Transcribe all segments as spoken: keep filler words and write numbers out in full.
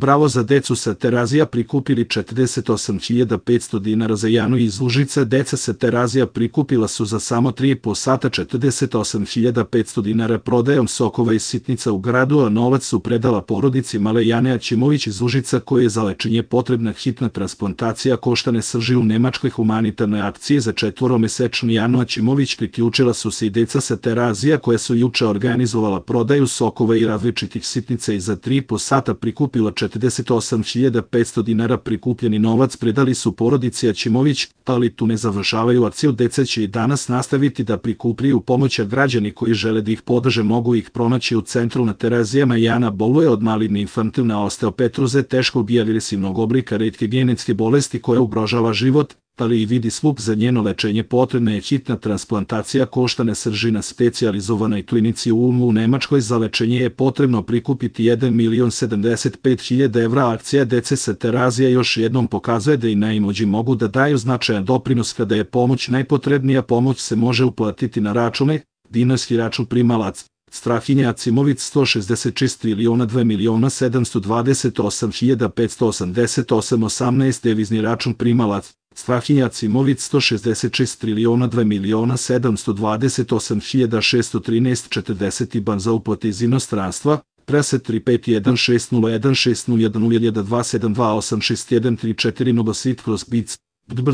Bravo za decu sa Terazija prikupili četrdeset osam hiljada petsto dinara za Janu iz Užica. Deca sa Terazija prikupila su za samo tri i po sata četrdeset osam hiljada petsto dinara prodajom sokova i sitnica u gradu, a novac su predala porodici male Jane Aćimović iz Užica, koje je za lečenje potrebna hitna transplantacija koštane srži. U Nemačkoj humanitarnoj akciji za četvoromesečnu Janu Aćimović priključila su se i deca sa Terazija, koja su juče organizovala prodaju sokova i različitih sitnica i za tri i po sata prikupila četrdeset osam hiljada petsto dinara. Prikupljeni novac predali su porodici Aćimović, ali tu ne završavaju akciju. Deca će i danas nastaviti da prikupljaju pomoć, a građani koji žele da ih podrže mogu ih pronaći u centru na Terazijama. Jana boluje od maligne infantilne osteopetroze, teškog i agresivnog oblika retke genetske bolesti koja ugrožava život, ali i vidi slup. Za njeno lečenje potrebna je hitna transplantacija koštane srži na specijalizovanoj klinici u Ulmu u Nemačkoj. Za lečenje je potrebno prikupiti jedan milion sedamdeset pet hiljada evra. Akcija dece sa Terazija još jednom pokazuje da i najimući mogu da daju značajan doprinos kada je pomoć najpotrebnija. Pomoć se može uplatiti na račune: dinarski račun primalac Strahinja Aćimović sto šezdeset šest triliona dva miliona sedamsto dvadeset osam hiljada petsto osamdeset osam osamnaest, devizni račun primalac Strahinja Aćimović sto šezdeset šest triliona dva miliona sedamsto dvadeset osam hiljada šesto trinaest četrdeset, IBAN za uplate iz inostranstva preset tri pet jedan šest nula jedan šest nula jedan nula jedan dva sedam dva osam šest jedan tri četiri Novosit kroz Bic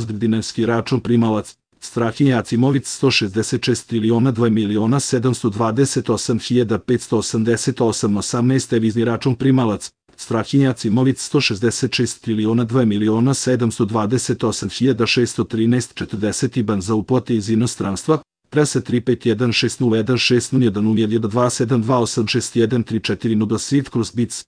dinarski račun primalac Strahinja Aćimović sto šezdeset šest triliona dva miliona sedamsto dvadeset osam hiljada petsto osamdeset osam osamnaest, devizni račun primalac Strahinja Aćimović sto šezdeset šest triliona dva miliona sedamsto dvadeset osam hiljada šesto trinaest četrdeset, IBAN za uplate iz inostranstva preset tri pet jedan šest nula jedan šest nula jedan nula jedan dva sedam dva osam šest jedan tri četiri Novosit kroz Bic